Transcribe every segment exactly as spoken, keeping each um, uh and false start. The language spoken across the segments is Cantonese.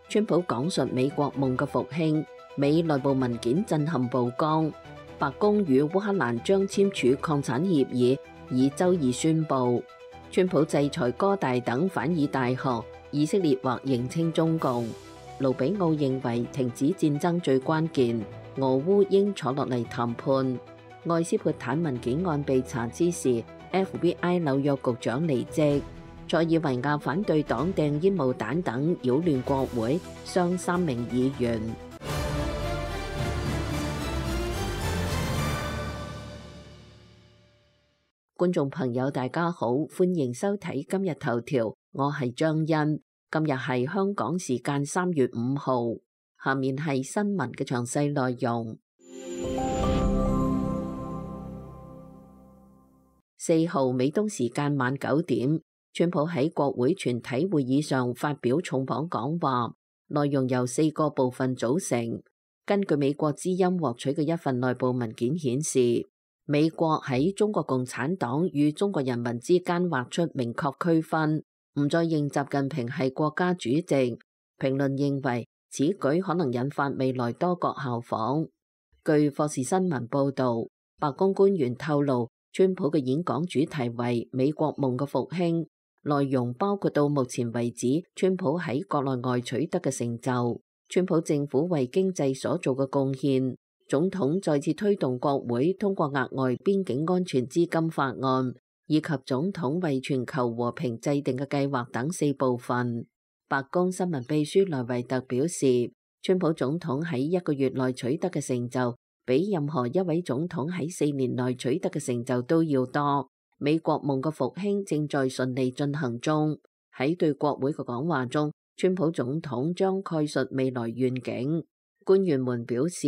川普講述美國夢嘅復興，美內部文件震撼曝光。白宮與烏克蘭將簽署礦產協議，以周二宣布。川普制裁哥大等反以大學，以色列或認清中共。盧比奧認為停止戰爭最關鍵，俄烏應坐落嚟談判。愛斯潑坦文件案被查之時 ，F B I 紐約局長離職。塞爾維亞反對黨掟煙霧彈等擾亂國會，傷三名議員。觀眾朋友，大家好，歡迎收睇今日頭條，我係張欣。今日係香港時間三月五號，下面係新聞嘅詳細內容。四號美東時間晚九點，川普喺國會全體會議上發表重磅講話，內容由四個部分組成。根據美國之音獲取嘅一份內部文件顯示，美國喺中國共產黨與中國人民之間畫出明確區分，唔再認習近平係國家主席。評論認為此舉可能引發未來多國效仿。據霍士新聞報導，白宮官員透露，川普嘅演講主題為美國夢嘅復興，內容包括到目前為止川普喺國內外取得嘅成就，川普政府為經濟所做嘅貢獻，總統再次推動國會通過額外邊境安全資金法案，以及總統為全球和平制定嘅計劃等四部分。白宮新聞秘書萊維特表示，川普總統喺一個月內取得嘅成就，比任何一位總統喺四年內取得嘅成就都要多。美國夢嘅復興正在順利進行中。喺對國會嘅講話中，川普總統將概述未來願景。官員們表示，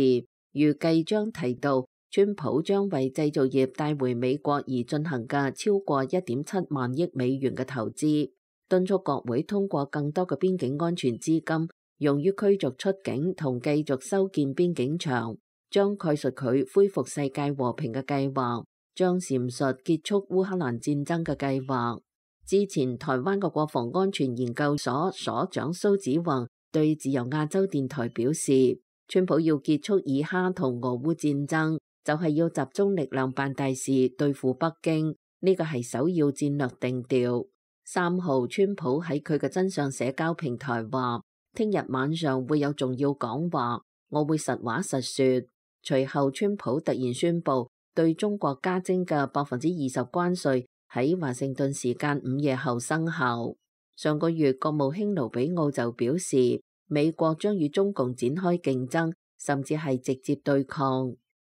預計將提到川普將為製造業帶回美國而進行嘅超過一點七萬億美元嘅投資，敦促國會通過更多嘅邊境安全資金，用於驅逐出境同繼續修建邊境牆，將概述佢恢復世界和平嘅計劃，將闡述結束烏克蘭戰爭嘅計劃。之前台灣嘅國防安全研究所所長蘇子宏對自由亞洲電台表示，川普要結束以哈同俄烏戰爭，就係要集中力量辦大事對付北京，呢個係首要戰略定調。三號，川普喺佢嘅真相社交平台話，聽日晚上會有重要講話，我會實話實說。隨後，川普突然宣布對中國加徵嘅百分之二十關稅喺華盛頓時間午夜後生效。上個月，國務卿盧比奧就表示，美國將與中共展開競爭，甚至係直接對抗。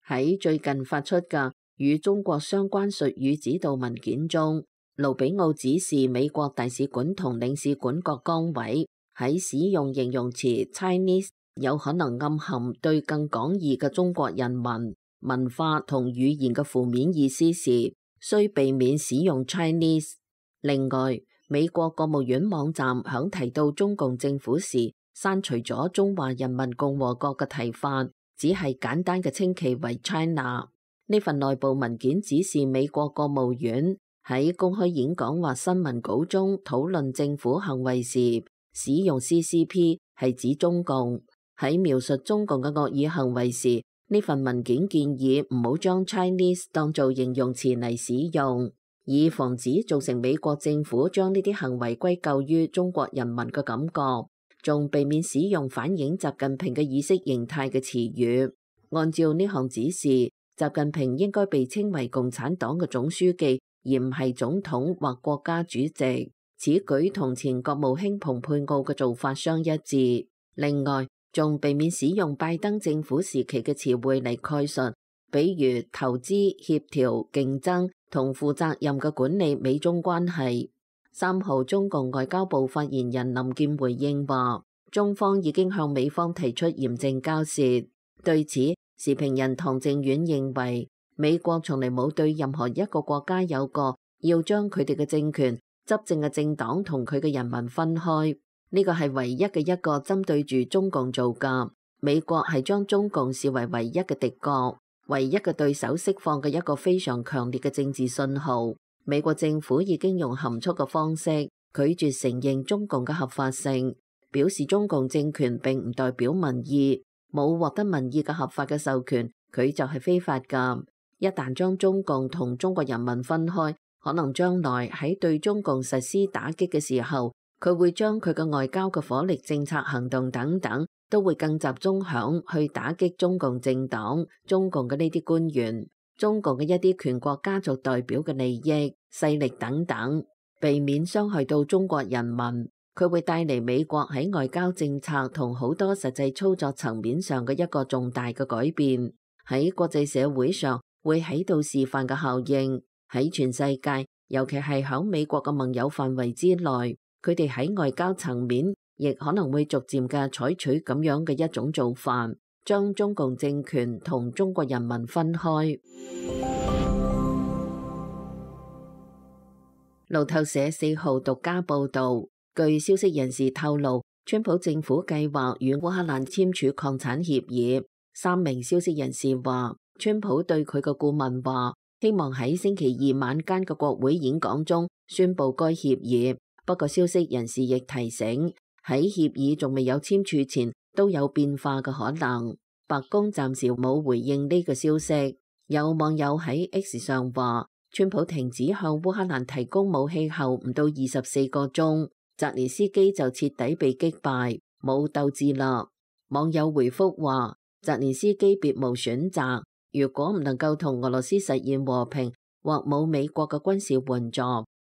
喺最近發出嘅與中國相關術語指導文件中，盧比奧指示美國大使館同領事館各崗位喺使用形容詞 Chinese 有可能暗含對更廣義嘅中國人民、文化同語言嘅負面意思時，需避免使用 Chinese。另外，美國國務院網站響提到中共政府時，刪除咗中華人民共和國嘅提法，只係簡單嘅稱其為 China。呢份內部文件指示美國國務院喺公開演講或新聞稿中討論政府行為時，使用 C C P 係指中共。喺描述中共嘅惡意行為時，呢份文件建議唔好將 Chinese 當做形容詞嚟使用，以防止造成美國政府將呢啲行為歸咎於中國人民嘅感覺，仲避免使用反映習近平嘅意識形態嘅詞語。按照呢項指示，習近平應該被稱為共產黨嘅總書記，而唔係總統或國家主席。此舉同前國務卿蓬佩奧嘅做法相一致。另外，仲避免使用拜登政府時期嘅詞彙嚟概述，比如投資、協調、競爭同負責任嘅管理美中關係。三號，中共外交部發言人林健回應話，中方已經向美方提出嚴正交涉。對此，時評人唐正遠認為，美國從嚟冇對任何一個國家有過要將佢哋嘅政權、執政嘅政黨同佢嘅人民分開。呢個係唯一嘅一個針對住中共做㗎。美國係將中共視為唯一嘅敵國、唯一嘅對手，釋放嘅一個非常強烈嘅政治信號。美國政府已經用含蓄嘅方式拒絕承認中共嘅合法性，表示中共政權並唔代表民意，冇獲得民意嘅合法嘅授權，佢就係非法㗎。一旦將中共同中國人民分開，可能將來喺對中共實施打擊嘅時候，佢會將佢嘅外交嘅火力、政策行動等等，都會更集中響去打擊中共政黨、中共嘅呢啲官員、中共嘅一啲權國家族代表嘅利益、勢力等等，避免傷害到中國人民。佢會帶嚟美國喺外交政策同好多實際操作層面上嘅一個重大嘅改變，喺國際社會上會喺度示範嘅效應，喺全世界，尤其係響美國嘅盟友範圍之內，佢哋喺外交層面亦可能會逐漸嘅採取咁樣嘅一種做法，將中共政權同中國人民分開。路透社四號獨家報導，據消息人士透露，川普政府計劃與烏克蘭簽署礦產協議。三名消息人士話，川普對佢嘅顧問話，希望喺星期二晚間嘅國會演講中宣布該協議。不過消息人士亦提醒，喺協議仲未有簽署前都有變化嘅可能。白宮暫時冇回應呢個消息。有網友喺 X 上話，川普停止向烏克蘭提供武器後唔到二十四個鐘，澤連斯基就徹底被擊敗，冇鬥志啦。網友回覆話，澤連斯基別無選擇，如果唔能夠同俄羅斯實現和平，或冇美國嘅軍事援助，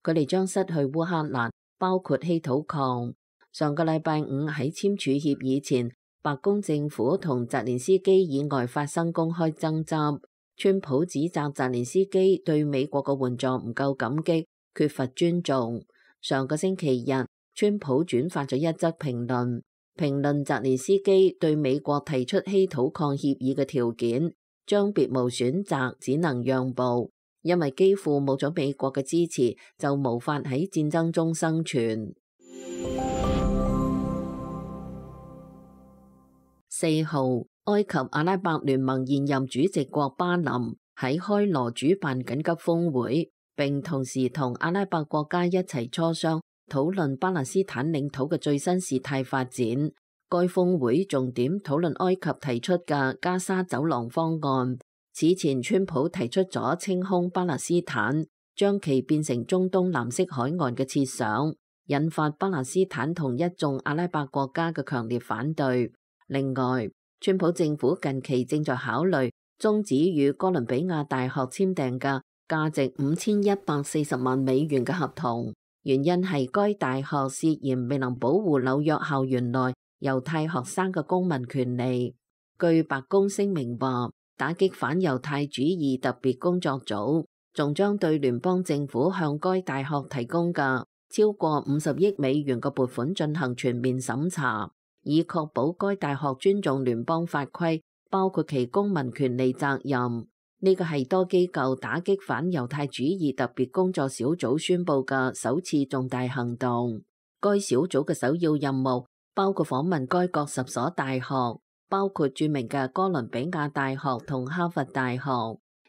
佢哋將失去烏克蘭，包括稀土礦。上個禮拜五喺簽署協議前，白宮政府同澤連斯基以外發生公開爭執。川普指責澤連斯基對美國嘅援助唔夠感激，缺乏尊重。上個星期日，川普轉發咗一則評論，評論澤連斯基對美國提出稀土礦協議嘅條件，將別無選擇，只能讓步，因為幾乎冇咗美國嘅支持，就無法喺戰爭中生存。四號，埃及阿拉伯聯盟現任主席國巴林喺開羅主辦緊急峰會，並同時同阿拉伯國家一齊磋商討論巴勒斯坦領土嘅最新事態發展。該峰會重點討論埃及提出嘅加沙走廊方案。此前，川普提出咗清空巴勒斯坦，將其變成中東藍色海岸嘅設想，引發巴勒斯坦同一眾阿拉伯國家嘅強烈反對。另外，川普政府近期正在考慮終止與哥倫比亞大學簽訂嘅價值五千一百四十萬美元嘅合同，原因係該大學涉嫌未能保護紐約校園內猶太學生嘅公民權利。據白宮聲明話，打擊反猶太主義特別工作組仲將對聯邦政府向該大學提供嘅超過五十億美元嘅撥款進行全面審查，以確保該大學尊重聯邦法規，包括其公民權利責任。呢個係多機構打擊反猶太主義特別工作小組宣布嘅首次重大行動。該小組嘅首要任務包括訪問該國十所大學，包括著名嘅哥倫比亞大學同哈佛大學。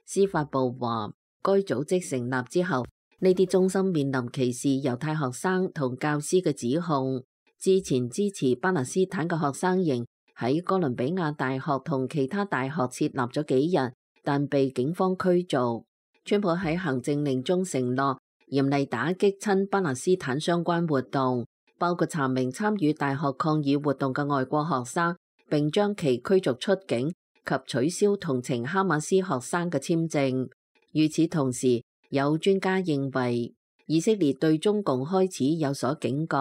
司法部話，該組織成立之後，呢啲中心面臨歧視猶太學生同教師嘅指控。之前支持巴勒斯坦嘅學生營喺哥倫比亞大學同其他大學設立咗幾日，但被警方驅逐。川普喺行政令中承諾嚴厲打擊親巴勒斯坦相關活動，包括查明參與大學抗議活動嘅外國學生，並將其驅逐出境及取消同情哈馬斯學生嘅簽證。與此同時，有專家認為以色列對中共開始有所警覺。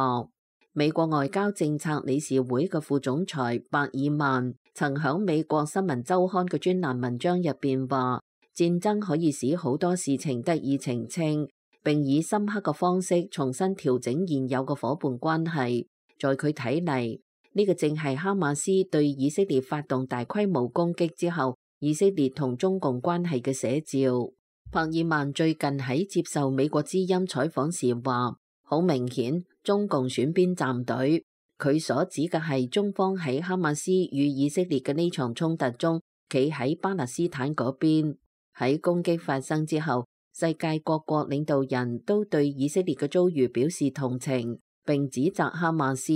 美國外交政策理事會嘅副總裁伯爾曼曾響美國新聞週刊嘅專欄文章入邊話，戰爭可以使好多事情得以澄清，並以深刻嘅方式重新調整現有嘅夥伴關係。在佢睇嚟，呢個正係哈馬斯對以色列發動大規模攻擊之後，以色列同中共關係嘅寫照。伯爾曼最近喺接受美國之音採訪時話，好明顯中共選邊站隊，佢所指嘅係中方喺哈馬斯與以色列嘅呢場衝突中企喺巴勒斯坦嗰邊。喺攻擊發生之後，世界各國領導人都對以色列嘅遭遇表示同情，並指責哈馬斯。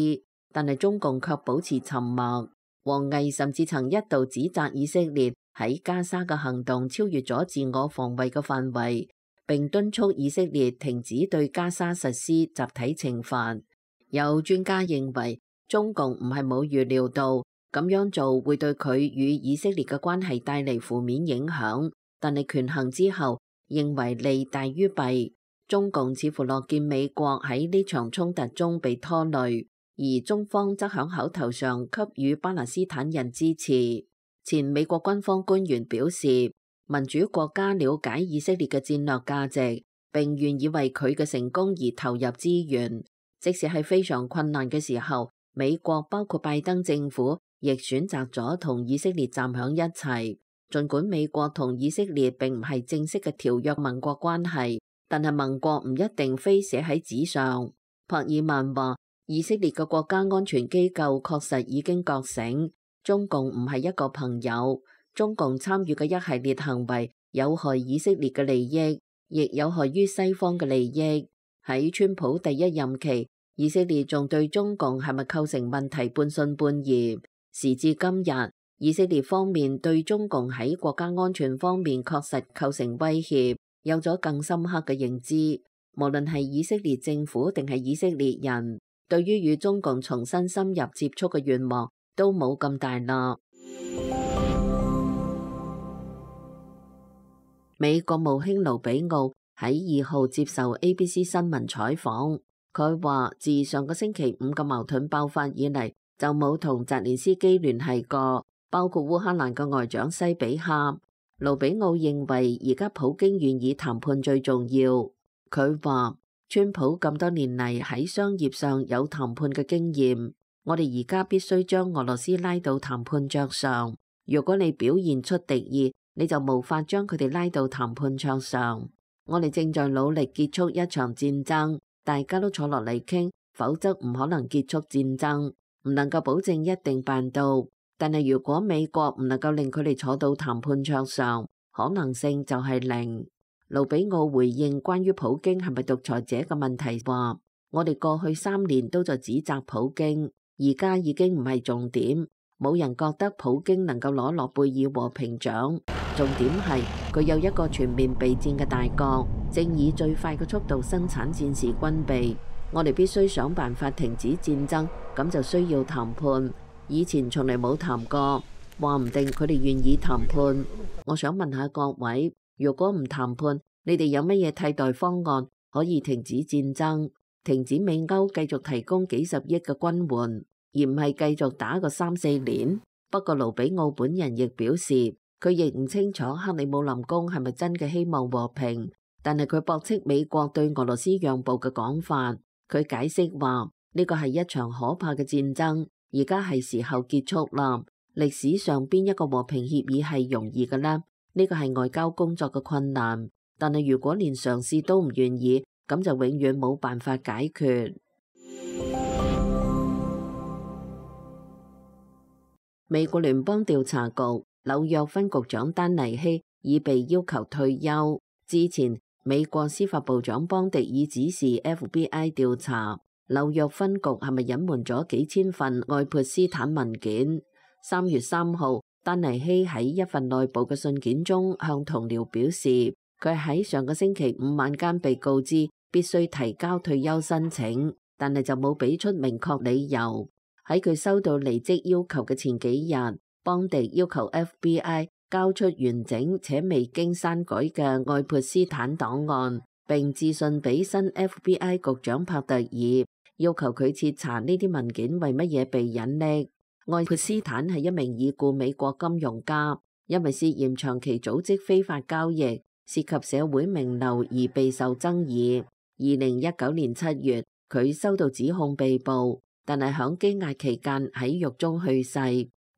但係中共卻保持沉默。王毅甚至曾一度指責以色列喺加沙嘅行動超越咗自我防衛嘅範圍，並敦促以色列停止對加沙實施集體懲罰。有專家認為，中共唔係冇預料到咁樣做會對佢與以色列嘅關係帶嚟負面影響，但係權衡之後認為利大於弊。中共似乎樂見美國喺呢場衝突中被拖累，而中方則響口頭上給予巴勒斯坦人支持。前美國軍方官員表示，民主國家了解以色列嘅戰略價值，並願意為佢嘅成功而投入資源。即使係非常困難嘅時候，美國包括拜登政府亦選擇咗同以色列站響一齊。儘管美國同以色列並唔係正式嘅條約盟國關係，但係盟國唔一定非寫喺紙上。柏爾曼話，以色列嘅國家安全機構確實已經覺醒，中共唔係一個朋友。中共參與嘅一系列行為有害以色列嘅利益，亦有害於西方嘅利益。喺川普第一任期，以色列仲對中共係咪構成問題半信半疑。時至今日，以色列方面對中共喺國家安全方面確實構成威脅，有咗更深刻嘅認知。無論係以色列政府定係以色列人，對於與中共重新深入接觸嘅願望都冇咁大啦。美國務卿盧比奧喺二號接受 A B C 新聞採訪，佢話自上個星期五嘅矛盾爆發以嚟，就冇同澤連斯基聯繫過，包括烏克蘭嘅外長西比克。盧比奧認為而家普京願意談判最重要。佢話川普咁多年嚟喺商業上有談判嘅經驗，我哋而家必須將俄羅斯拉到談判桌上。如果你表現出敵意，你就無法將佢哋拉到談判桌上。我哋正在努力結束一場戰爭，大家都坐落嚟傾，否則唔可能結束戰爭。唔能夠保證一定辦到，但係如果美國唔能夠令佢哋坐到談判桌上，可能性就係零。盧比奧回應關於普京係咪獨裁者嘅問題話，我哋過去三年都在指責普京，而家已經唔係重點，冇人覺得普京能夠攞諾貝爾和平獎。重點係佢有一個全面備戰嘅大國，正以最快嘅速度生產戰時軍備。我哋必須想辦法停止戰爭，咁就需要談判。以前從嚟冇談過，話唔定佢哋願意談判。我想問下各位，如果唔談判，你哋有乜嘢替代方案可以停止戰爭，停止美歐繼續提供幾十億嘅軍援，而唔係繼續打個三四年？不過盧比奧本人亦表示，佢亦唔清楚克里姆林宮係咪真嘅希望和平，但係佢駁斥美國對俄羅斯讓步嘅講法。佢解釋話，呢個係一場可怕嘅戰爭，而家係時候結束啦。歷史上邊一個和平協議係容易嘅呢？呢個係外交工作嘅困難，但係如果連嘗試都唔願意，咁就永遠冇辦法解決。美國聯邦調查局紐約分局長丹尼希已被要求退休。之前美國司法部長邦迪已指示 F B I 調查紐約分局係咪隱瞞咗幾千份愛潑斯坦文件。三月三號，丹尼希喺一份內部嘅信件中向同僚表示，佢喺上個星期五晚間被告知必須提交退休申請，但係就冇俾出明確理由。喺佢收到離職要求嘅前幾日，邦迪要求 F B I 交出完整且未經刪改嘅愛潑斯坦檔案，並致信俾新 F B I 局長帕特爾，要求佢徹查呢啲文件為乜嘢被隱匿。愛潑斯坦係一名已故美國金融家，因為涉嫌長期組織非法交易，涉及社會名流而備受爭議。二零一九年七月，佢收到指控被捕，但係響羈押期間喺獄中去世。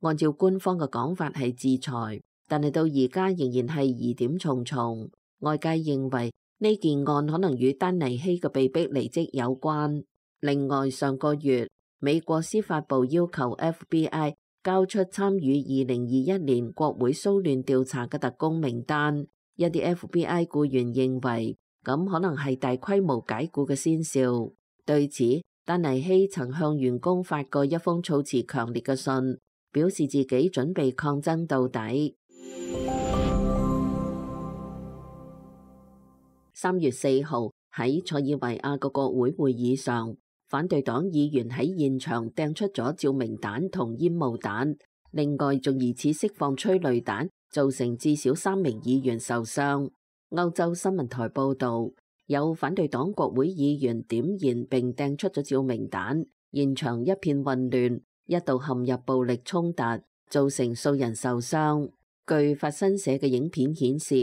按照官方嘅講法係自裁，但係到而家仍然係疑點重重。外界認為呢件案可能與丹尼希嘅被逼離職有關。另外，上個月美國司法部要求 F B I 交出參與二零二一年國會騷亂調查嘅特工名單。一啲 F B I 僱員認為咁可能係大規模解僱嘅先兆。對此，丹尼希曾向員工發過一封措辭強烈嘅信，表示自己準備抗爭到底。三月四號喺塞爾維亞嘅國會會議上，反對黨議員喺現場掟出咗照明彈同煙霧彈，另外仲疑似釋放催淚彈，造成至少三名議員受傷。歐洲新聞台報導，有反對黨國會議員點燃並掟出咗照明彈，現場一片混亂，一度陷入暴力衝突，造成數人受傷。據法新社嘅影片顯示，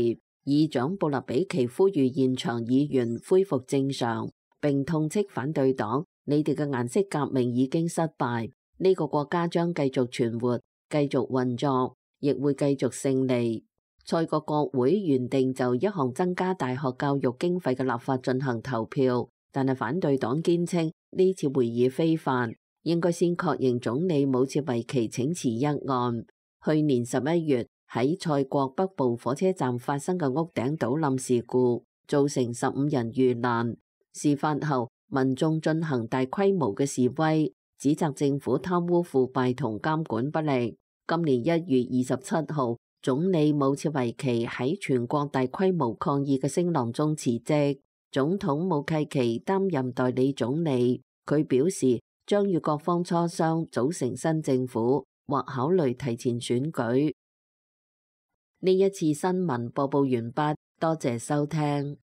議長布勒比奇呼籲現場議員恢復正常，並痛斥反對黨：你哋嘅顏色革命已經失敗，呢個國家將繼續存活、繼續運作，亦會繼續勝利。塞國國會原定就一項增加大學教育經費嘅立法進行投票，但係反對黨堅稱呢次會議非法，應該先確認總理武切維奇請辭一案。去年十一月喺塞國北部火車站發生嘅屋頂倒冧事故，造成十五人遇難。事發後，民眾進行大規模嘅示威，指責政府貪污腐敗同監管不力。今年一月二十七號，總理武切維奇喺全國大規模抗議嘅聲浪中辭職，總統武契奇擔任代理總理。佢表示將與各方磋商組成新政府，或考慮提前選舉。呢一次新聞播報完畢，多謝收聽。